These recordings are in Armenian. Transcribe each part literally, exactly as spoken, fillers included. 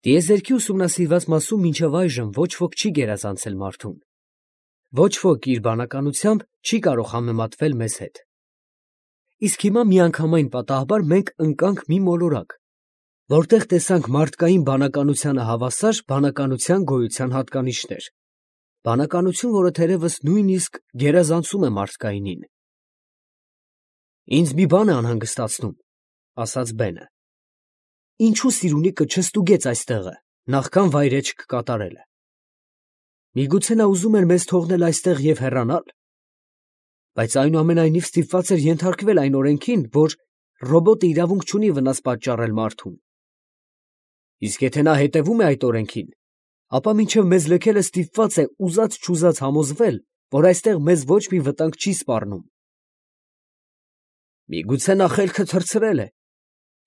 Տիեզերքի ուսումնասիրված մասում մինչև այժմ ոչ ոք չի գերազանցել մարդուն. ոչ ոք իր բանականությամբ չի կարող համեմատվել մեզ հետ։ Իսկ հիմա միանգամայն պատահաբար մենք ընկանք մի մոլորակ, որտեղ տեսանք մարդկային բանականությանը հավասար բանականության գոյության հատկանիշներ, բանականություն, որը թերևս նույնիսկ գերազանցում է մարդկայինին։ Ինձ մի բան է անհանգստացնում, ասաց Բենը. ինչու Սիրունիկը չստուգեց այստեղը, նախքան վայրէջք կատարելը։ Միգուցե նա ուզում էր մեզ թողնել այստեղ և հեռանալ, բայց այնուամենայնիվ ստիպված էր ենթարկվել այն օրենքին, որ ռոբոտը իրավունք չունի վնաս պատճառել մարդուն։ Իսկ եթե նա հետևում է այդ օրենքին, ապա մինչև մեզ լքելը ստիպված է ուզած-չուզած համոզվել, որ այստեղ մեզ ոչ մի վտանգ չի սպառնում։ Միգուցե նա խելքը թռցրել է,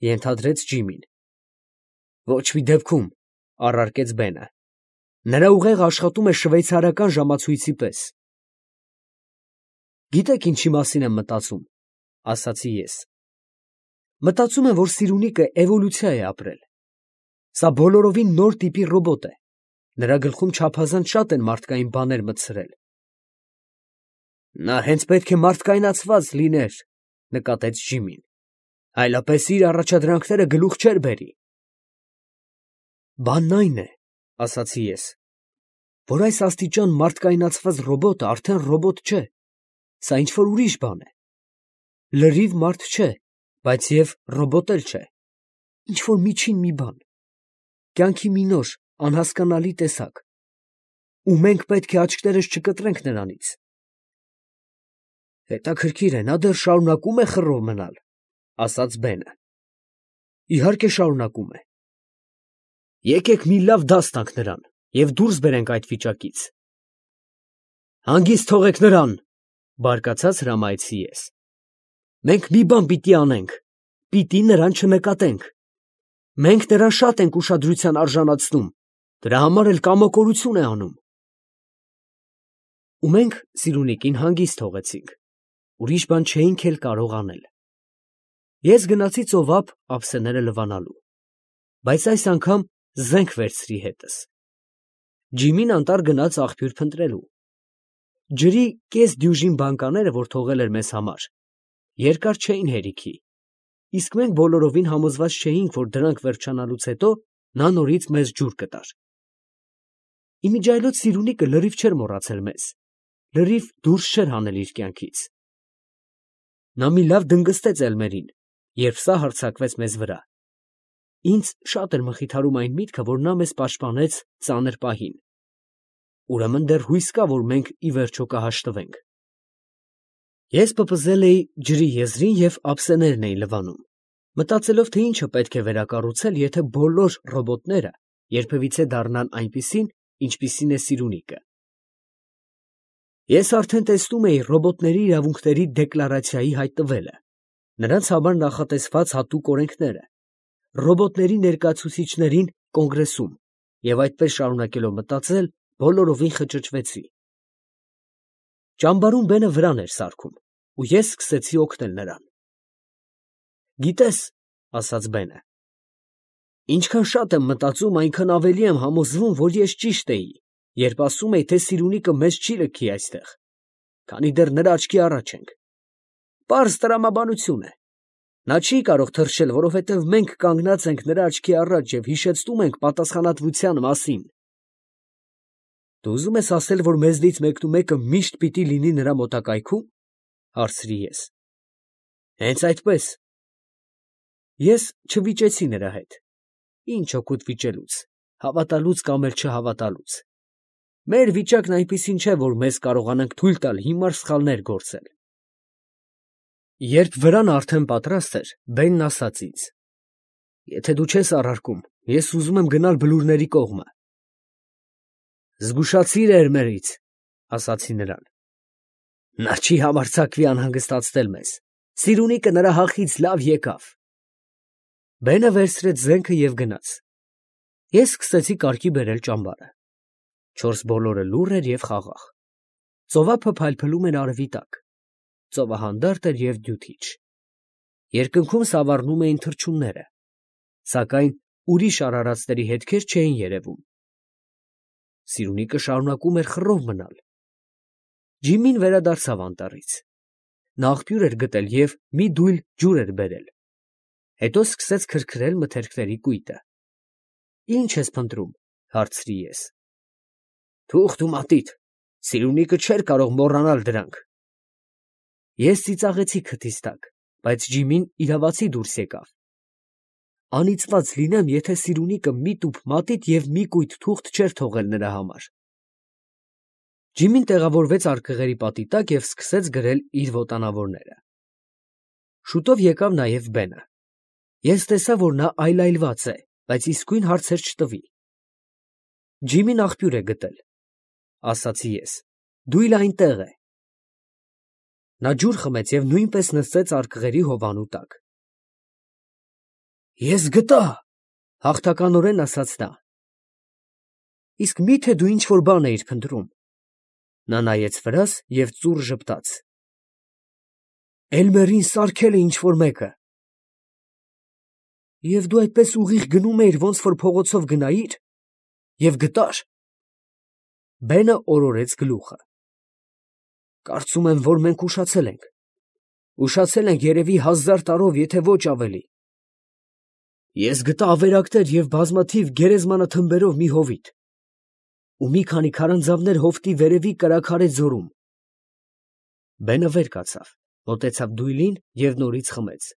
ենթադրեց Ջիմին։ Ոչ մի դեպքում, առարկեց Բենը, նրա ուղեղը աշխատում է շվեյցարական ժամացույցի պես։ Գիտեք ինչի մասին եմ մտածում, ասացի ես։ Մտածում եմ, որ Սիրունիկը էվոլյուցիա է ապրել։ Սա բոլորովին նոր տիպի ռոբոտ է, նրա գլխում չափազանց շատ են մարդկային բաներ մտցրել։ Նա հենց պետք է մարդկայնացված լիներ, նկատեց Ջիմին, այլապես իր առաջադրանքները գլուխ չէր բերի։ Բանն այն է, ասացի ես, որ այս աստիճան մարդկայնացված ռոբոտը արդեն ռոբոտ չէ, սա ինչ-որ ուրիշ բան է։ Լրիվ մարդ չէ, բայց և ռոբոտ էլ չէ, ինչ-որ միջին մի բան, կյանքի մի նոր, անհասկանալի տեսակ, ու մենք պետք է աչքներս չկտրենք նրանից։ Հետաքրքիր է, նա դեռ շարունակում է խռով մնալ, ասաց Բենը։ Իհարկե շարունակում է։ Եկեք մի լավ դաս տանք նրան և դուրս բերենք այդ վիճակից։ Հանգիստ թողեք նրան, բարկացած հրամայեցի ես։ Մենք մի բան պիտի անենք, պիտի նրան չնկատենք։ Մենք նրան շատ ենք ուշադրության արժանացնում, դրա համար էլ կամակորություն է անում։ Ու մենք Սիրունիկին հանգիստ թողեցինք, ուրիշ բան չէինք էլ կարող անել։ Ես գնացի ծովափ ափսեները լվանալու, բայց այս անգամ զենք վերցրի հետս։ Ջիմին անտառ գնաց աղբյուր փնտրելու։ Ջրի կես դյուժին բանկաները, որ թողել էր մեզ համար, երկար չէին հերիքի, իսկ մենք բոլորովին համոզված չէինք, որ դրանք վերջանալուց հետո նա նորից մեզ ջուր կտար։ Իմիջիայլոց Սիրունիկը լրիվ չէր մոռացել մեզ, լրիվ դուրս չէր հանել իր կյանքից։ Նա մի լավ դնգստեց Էլմերին, երբ սա հարձակվեց մեզ վրա։ Ինձ շատ էր մխիթարում այն միտքը, որ նա մեզ պաշտպանեց ծանր պահին։ Ուրեմն դեռ հույս կա, որ մենք ի վերջո կհաշտվենք։ Ես պպզել էի ջրի եզրին և ափսեներն էի լվանում, մտածելով, թե ինչը պետք է վերակառուցել, եթե բոլոր ռոբոտները երբևիցե դառնան այնպիսին, ինչպիսին է Սիրունիկը։ Ես արդեն տեսնում էի ռոբոտների իրավունքների դեկլարացիայի հայտնվելը, նրանց համար նախատեսված հատուկ օրենքները, ռոբոտների ներկայացուցիչներին կոնգրեսում, և այդպես շարունակելով մտածել, բոլորովին խճճվեցի։ Ճամբարում Բենը վրան էր սարքում, ու ես սկսեցի օգնել նրան։ Գիտես, ասաց Բենը, ինչքան շատ եմ մտածում, այնքան ավելի եմ համոզվում, որ ես ճիշտ էի, երբ ասում էի, թե Սիրունիկը մեզ չի լքի այստեղ, քանի դեռ նրա աչքի առաջ ենք։ Պարզ տրամաբանություն է։ Նա չի կարող թռչել, որովհետև մենք կանգնած ենք նրա աչքի առաջ և հիշեցնում ենք պատասխանատվության մասին։ Դու ուզում ես ասել, որ մեզնից մեկնումեկը միշտ պիտի լինի նրա մոտակայքում, հարցրի ես։ Հենց այդպես։ Ես չվիճեցի նրա հետ։ Ինչ օգուտ վիճելուց, հավատալուց կամ էլ չհավատալուց։ Մեր վիճակն այնպիսին չէ, որ մեզ կարողանանք թույլ տալ հիմար սխալներ գործել։ Երբ վրան արդեն պատրաստ էր, Բենն ասաց ինձ. Եթե դու չես առարկում, ես ուզում եմ գնալ բլուրների կողմը։ Զգուշացիր Էլմերից, ասացի նրան։ Նա չի համարձակվի անհանգստացնել մեզ։ Սիրունիկը նրա հախից լավ եկավ։ Բենը վերցրեց զենքը և գնաց։ Ես սկսեցի կարգի բերել ճամբարը։ Չորս բոլորը լուռ էր և խաղաղ։ Ծովափը փայլփլում էր արևի տակ։ Ծովը հանդարտ էր և դյութիչ։ Երկնքում սավառնում էին թռչունները, սակայն ուրիշ արարածների հետքեր չէին երևում։ Սիրունիկը շարունակում էր խռով մնալ։ Ջիմին վերադարձավ անտառից։ Նա աղբյուր էր գտել և մի դույլ ջուր էր բերել։ Հետո սկսեց քրքրել մթերքների կույտը։ Ի՞նչ ես փնտրում, հարցրի ես։ Թուղթ ու մատիտ, Սիրունիկը չէր կարող մոռանալ դրանք։ Ես ծիծաղեցի քթիս տակ, բայց Ջիմին իրավացի դուրս եկավ։ Անիծված լինեմ, եթե Սիրունիկը մի տուփ մատիտ և մի կույտ թուղթ չէր թողել նրա համար։ Ջիմին տեղավորվեց արկղերի պատի տակ և սկսեց գրել իր ոտանավորները։ Շուտով եկավ նաև Բենը։ Ես տեսա, որ նա այլայլված է, բայց իսկույն հարցեր չտվի։ Ջիմին աղբյուր է գտել, ասացի ես, դույլը այնտեղ է։ Նա ջուր խմեց և նույնպես նստեց արկղերի հովանու տակ։ Ես գտա, հաղթականորեն ասաց նա։ Իսկ մի՞թե դու ինչ֊որ բան էիր փնտրում։ Նա նայեց վրաս և ծուռ ժպտաց։ Էլմերին սարքել է ինչ֊որ մեկը։ Եվ դու այդպես ուղիղ գնում էիր, ոնց որ փողոցով գնայիր, և գտար։ Բենը օրորեց գլուխը։ Կարծում եմ, որ մենք ուշացել ենք։ Ուշացել ենք երևի հազար տարով, եթե ոչ ավելի։ Ես գտա ավերակներ և բազմաթիվ գերեզմանաթմբերով մի հովիտ ու մի քանի քարանձավներ հովտի վերևի կրաքարե ձորում։ Բենը վեր կացավ, մոտեցավ դույլին և նորից խմեց։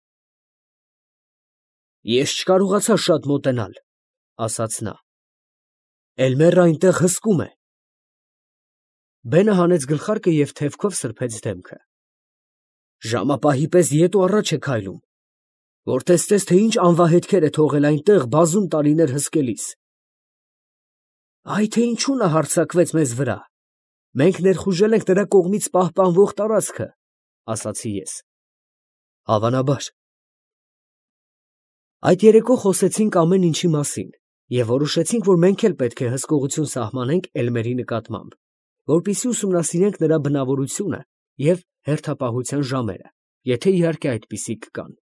Ես չկարողացա շատ մոտենալ, ասաց նա։ Էլմերը այնտեղ հսկում է։ Բենը հանեց գլխարկը և թևքով սրբեց դեմքը։ Ժամապահի պես ետ ու առաջ է քայլում, որ տեսնես, թե ինչ անվահետքեր է թողել այնտեղ բազում տարիներ հսկելիս։ Այ թե ինչու նա հարձակվեց մեզ վրա։ Մենք ներխուժել ենք նրա կողմից պահպանվող տարածքը, ասացի ես։ Հավանաբար։ Այդ երեկո խոսեցինք ամեն ինչի մասին և որոշեցինք, որ մենք էլ պետք է հսկողություն սահմանենք Էլմերի նկատմամբ, որպեսզի ուսումնասիրենք նրա բնավորությունը և հերթապահության ժամերը, եթե իհարկե այդպիսիք կան։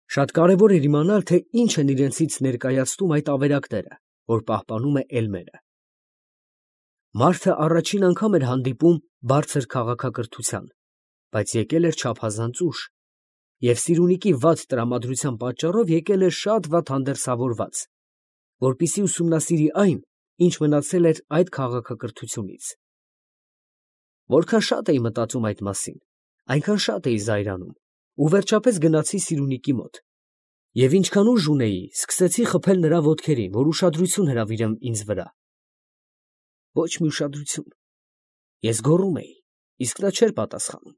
Շատ կարևոր էր իմանալ, թե ինչ են իրենցից ներկայացնում այդ ավերակները, որ պահպանում է Էլմերը։ Մարդը առաջին անգամ էր հանդիպում բարձր քաղաքակրթության, բայց եկել էր չափազանց ուշ, և Սիրունիկի վատ տրամադրության պատճառով եկել էր շատ վատ հանդերձավորված, որպեսզի ուսումնասիրի այն, ինչ մնացել էր այդ քաղաքակրթությունից։ Որքան շատ էի մտածում այդ մասին, այնքան շատ էի զայրանում, ու վերջապես գնացի Սիրունիկի մոտ, և ինչքան ուժ ունեի, սկսեցի խփել նրա ոտքերին, որ ուշադրություն հրավիրեմ ինձ վրա։ Ոչ մի ուշադրություն։ Ես գոռում էի, իսկ նա չէր պատասխանում։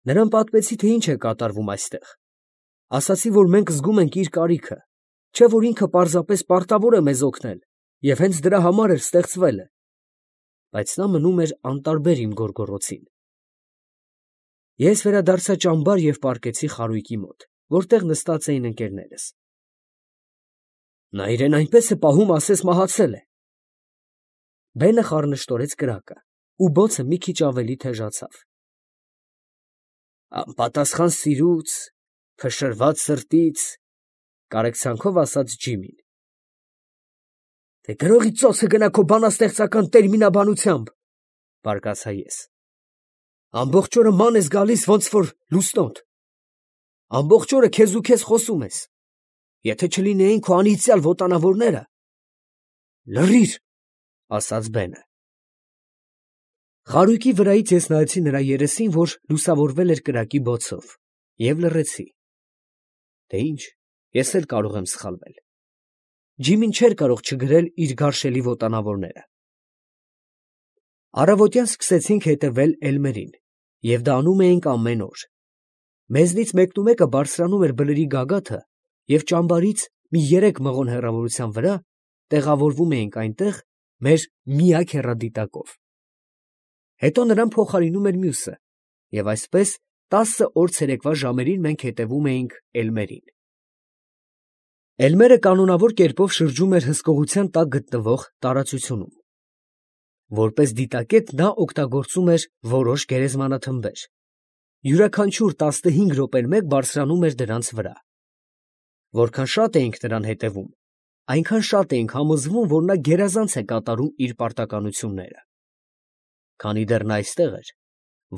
Նրան պատմեցի, թե ինչ է կատարվում այստեղ։ Ասացի, որ մենք զգում ենք իր կարիքը, չէ՞ որ ինքը պարզապես պարտավոր է մեզ օգնել, և հենց դրա համար էլ ստեղծվել է։ Բայց նա մնում էր անտարբեր իմ գոռգոռոցին։ Ես վերադարձա ճամբար և պառկեցի խարույկի մոտ, որտեղ նստած էին ընկերներս։ Նա իրեն այնպես է պահում, ասես մահացել է։ Բենը խառնշտորեց կրակը, ու բոցը մի քիչ ավելի թեժացավ։ Անպատասխան սիրուց, փշրված սրտից, կարեկցանքով ասաց Ջիմին։ Դե գրողի ծոցը գնա քո բանաստեղծական տերմինաբանությամբ, բարկացա ես։ Ամբողջ օրը ման ես գալիս, ոնց որ լուսնոտ։ Ամբողջ օրը քեզ ու քեզ խոսում ես։ Եթե չլինեին քո անիծյալ ոտանավորները… Լռիր, ասաց Բենը։ Խարույկի վրայից ես նայեցի նրա երեսին, որ լուսավորվել էր կրակի բոցով, և լռեցի։ Դե ինչ, ես էլ կարող եմ սխալվել։ Ջիմին չէր կարող չգրել իր գարշելի ոտանավորները։ Առավոտյան սկսեցինք հետևել Էլմերին, և դա անում էինք ամեն օր։ Մեզնից մեկնումեկը բարձրանում էր բլրի գագաթը, և ճամբարից մի երեք մղոն հեռավորության վրա տեղավորվում էինք այնտեղ մեր միակ հեռադիտակով։ Հետո նրան փոխարինում էր մյուսը, և այսպես տասը օր ցերեկվա ժամերին մենք հետևում էինք Էլմերին։ Էլմերը կանոնավոր կերպով շրջում էր հսկողության տակ գտնվող տարածությունում։ Որպես դիտակետ նա օգտագործում էր որոշ գերեզմանաթմբեր։ Յուրաքանչյուր տասնհինգ րոպեն մեկ բարձրանում էր դրանց վրա։ Որքան շատ էինք նրան հետևում, այնքան շատ էինք համոզվում, որ նա գերազանց է կատարում իր պարտականությունները։ Քանի դեռ նա այստեղ էր,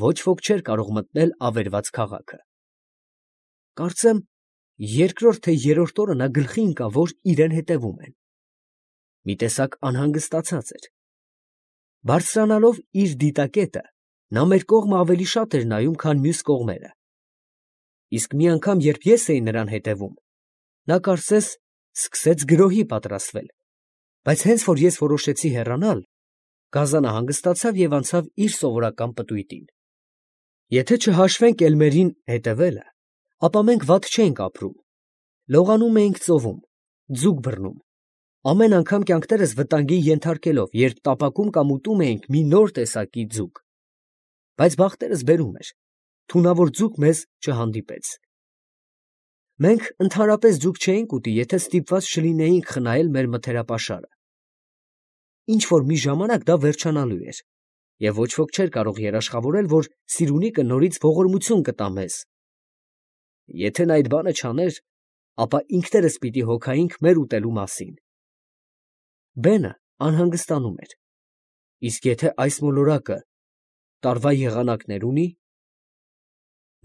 ոչ ոք չէր կարող մտնել ավերված քաղաքը։ Կարծեմ, երկրորդ թե երրորդ օրը նա գլխի ընկավ, որ իրեն հետևում են։ Մի տեսակ անհանգստացած էր։ Բարձրանալով իր դիտակետը, նա մեր կողմը ավելի շատ էր նայում, քան մյուս կողմերը։ Իսկ մի անգամ, երբ ես էի նրան հետևում, նա կարծես սկսեց գրոհի պատրաստվել, բայց հենց որ ես որոշեցի հեռանալ, գազանը հանգստացավ և անցավ իր սովորական պտույտին։ Եթե չհաշվենք Էլմերին հետևելը, ապա մենք վատ չենք ապրում, լողանում էինք ծովում, ձուկ բռնում, ամեն անգամ կյանքներս վտանգի ենթարկելով, երբ տապակում կամ ուտում էինք մի նոր տեսակի ձուկ, բայց բախտերս բերում էր, թունավոր ձուկ մեզ չհանդիպեց։ Մենք ընդհանրապես ձուկ չէինք ուտի, եթե ստիպված չլինեինք խնայել մեր մթերապաշարը։ Ինչ որ մի ժամանակ դա վերջանալու էր, և ոչ ոք չէր կարող երաշխավորել, որ Սիրունիկը նորից ողորմություն կտա մեզ։ Եթե նա այդ բանը չաներ, ապա ինքներս պիտի հոգայինք մեր ուտելու մասին։ Բենը անհանգստանում էր։ Իսկ եթե այս մոլորակը տարվա եղանակներ ունի,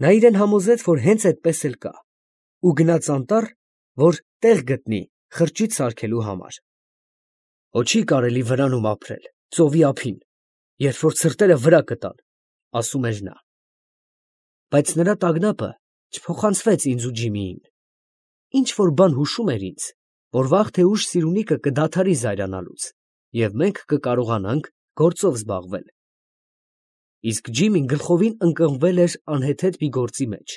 նա իրեն համոզեց, որ հենց այդպես էլ կա, ու գնաց անտառ, որ տեղ գտնի խրճիթ սարքելու համար։ Հո չի կարելի վրանում ապրել, ծովի ափին, երբ որ ցրտերը վրա կտան, ասում էր նա։ Բայց նրա տագնապը չփոխանցվեց ինձ ու Ջիմիին։ Ինչ որ բան հուշում էր ինձ, որ վաղ թե ուշ Սիրունիկը կդադարի զայրանալուց, և մենք կկարողանանք գործով զբաղվել։ Իսկ Ջիմին գլխովին ընկղմվել էր անհեթեթ մի գործի մեջ,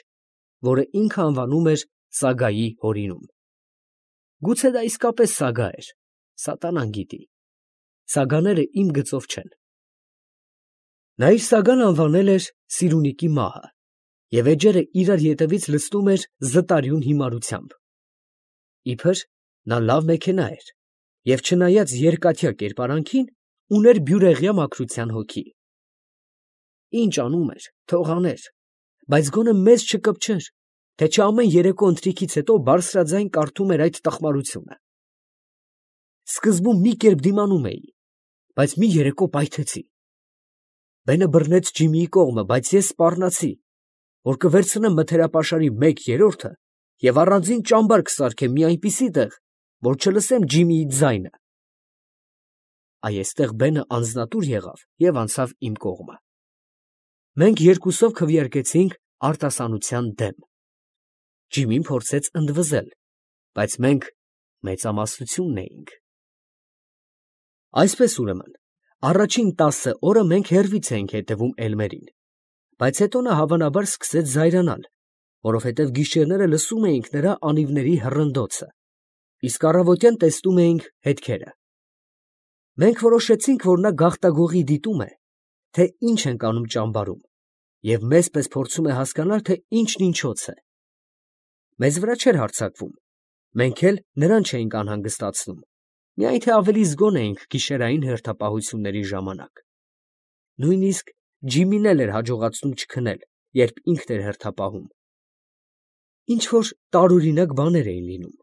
որը ինքը անվանում էր Սագայի հորինում։ Գուցե դա իսկապես սագա էր, սատանան գիտի։ Սագաները իմ գծով չեն։ Նա իր սագան անվանել էր Սիրունիկի մահը, և էջերը իրար ետևից լցնում էր զտարյուն հիմարությամբ։ Իբր նա լավ մեքենա էր, և չնայած երկաթյա կերպարանքին, ուներ բյուրեղյա մաքրության հոգի։ Ինչ անում էր, թող աներ, բայց գոնե մեզ չկպչեր, թե չէ ամեն երեկո ընթրիքից հետո բարձրաձայն կարդում էր այդ տխմարությունը։ Սկզբում մի կերպ դիմանում էի, բայց մի երեկո պայթեցի։ Բենը բռնեց Ջիմիի կողմը, բայց ես սպառնացի, որ կվերցնեմ մթերապաշարի մեկ երրորդը և առանձին ճամբար կսարքեմ մի այնպիսի տեղ, որ չլսեմ Ջիմիի ձայնը։ Այ էստեղ Բենը անձնատուր եղավ և անցավ իմ կողմը։ Մենք երկուսով քվեարկեցինք արտասանության դեմ։ Ջիմին փորձեց ընդվզել, բայց մենք մեծամասնությունն էինք։ Այսպես ուրեմն, առաջին տասը օրը մենք հեռվից էինք հետևում Էլմերին, բայց հետո նա հավանաբար սկսեց զայրանալ, որովհետև գիշերները լսում էինք նրա անիվների հռնդոցը, իսկ առավոտյան տեսնում էինք հետքերը։ Մենք որոշեցինք, որ նա գաղտագողի դիտում է, թե ինչ ենք անում ճամբարում, և մեզ պես փորձում է հասկանալ, թե ինչն ինչոց է։ Մեզ վրա չէր հարձակվում, մենք էլ նրան չէինք անհանգստացնում, միայն թե ավելի զգոն էինք գիշերային հերթապահությունների ժամանակ։ Նույնիսկ Ջիմին էլ էր հաջողացնում չքնել, երբ ինքն էր հերթապահում։ Ինչ որ տարօրինակ բաներ էին լինում։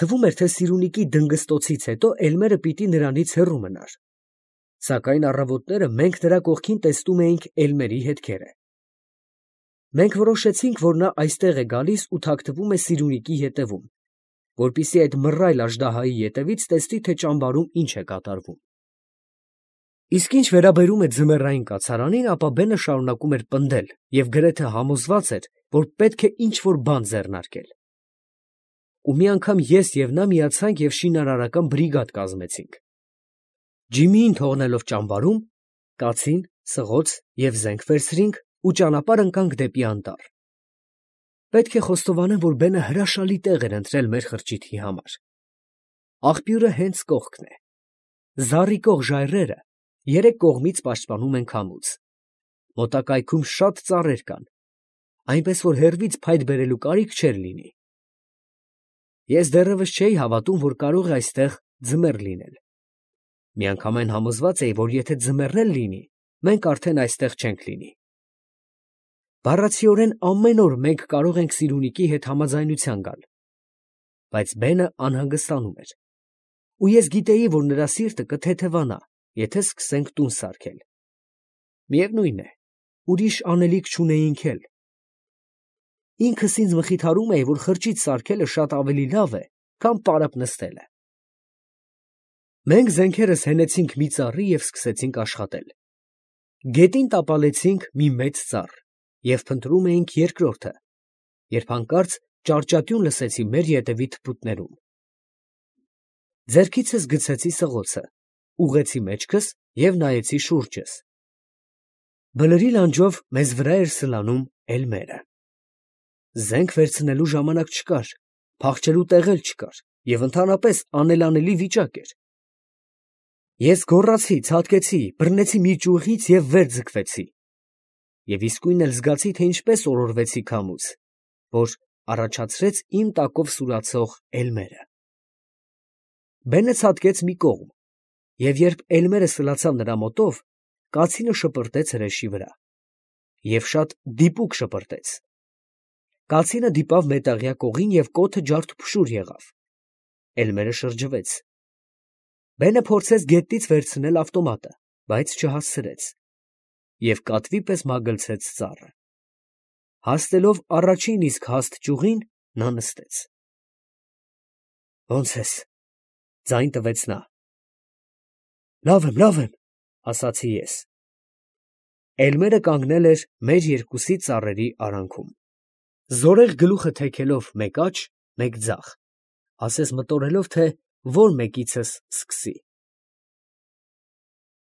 Թվում էր, թե Սիրունիկի դնգստոցից հետո Էլմերը պիտի նրանից հեռու մնար։ Սակայն առավոտները մենք նրա կողքին տեսնում էինք Էլմերի հետքերը։ Մենք որոշեցինք, որ նա այստեղ է գալիս ու թաքնվում է Սիրունիկի ետևում, որպեսզի այդ մռայլ աժդահայի ետևից տեսնի, թե ճամբարում ինչ է կատարվում։ Իսկ ինչ վերաբերում է ձմեռային կացարանին, ապա Բենը շարունակում էր պնդել և գրեթե համոզված էր, որ պետք է ինչ-որ բան ձեռնարկել։ Ու մի անգամ ես և նա միացանք և շինարարական բրիգադ կազմեցինք։ Ջիմիին թողնելով ճամբարում, կացին, սղոց և զենք վերցրինք ու ճանապարհ ընկանք դեպի անտառ։ Պետք է խոստովանեմ, որ Բենը հրաշալի տեղ էր ընտրել մեր խրճիթի համար։ Աղբյուրը հենց կողքն է։ Զառիկող ժայռերը երեք կողմից պաշտպանում են քամուց։ Մոտակայքում շատ ծառեր կան, այնպես որ հեռվից փայտ բերելու կարիք չէր լինի։ Ես դեռևս չէի հավատում, որ կարող է այստեղ ձմեռ լինել։ Միանգամայն համոզված էի, որ եթե ձմեռն էլ լինի, մենք արդեն այստեղ չենք լինի։ Բառացիորեն ամեն օր մենք կարող ենք Սիրունիկի հետ համաձայնության գալ, բայց Բենը անհանգստանում էր։ Ու ես գիտեի, որ նրա սիրտը կթեթևանա, եթե սկսենք տուն սարքել։ Միևնույն է, ուրիշ անելիք չունեինք էլ։ Ինքս ինձ մխիթարում էի, որ խրճիթ սարքելը շատ ավելի լավ է, քան պարապ նստելը։ Մենք զենքերս հենեցինք մի ծառի և սկսեցինք աշխատել։ Գետին տապալեցինք մի մեծ ծառ և փնտրում էինք երկրորդը, երբ հանկարծ ճարճատյուն լսեցի մեր ետևի թփուտներում։ Ձեռքիցս գցեցի սղոցը, ուղղեցի մեջքս և նայեցի շուրջս։ Բլրի լանջով մեզ վրա էր սլանում էլմերը։ Զենք վերցնելու ժամանակ չկար, փախչելու տեղ էլ չկար և ընդհանրապես անելանելի վիճակ էր։ Ես գոռացի, ցատկեցի, բռնեցի մի ճյուղից և վեր ձգվեցի։ Եվ իսկույն էլ զգացի, թե ինչպես օրորվեցի քամուց, որ առաջացրեց իմ տակով սուրացող էլմերը։ Բենը ցատկեց մի կողմ, և երբ էլմերը սլացավ նրա մոտով, կացինը շպրտեց հրեշի վրա, և շատ դիպուկ շպրտեց։ Կացինը դիպավ մետաղյա կողին և կոթը ջարդուփշուր եղավ։ Էլմերը շրջվեց։ Բենը փորձեց գետնից վերցնել ավտոմատը, բայց չհասցրեց, և կատվի պես մագլցեց ծառը։ Հասնելով առաջին իսկ հաստ ճյուղին, նա նստեց։ ֊ Ո՞նց ես, ֊ ձայն տվեց նա։ ֊ Լավ եմ, լավ եմ, ֊ ասացի ես։ Էլմերը կանգնել էր մեր երկուսի ծառերի արանքում, զորեղ գլուխը թեքելով մեկ աջ, մեկ ձախ, ասես մտորելով, թե որ մեկիցս սկսի։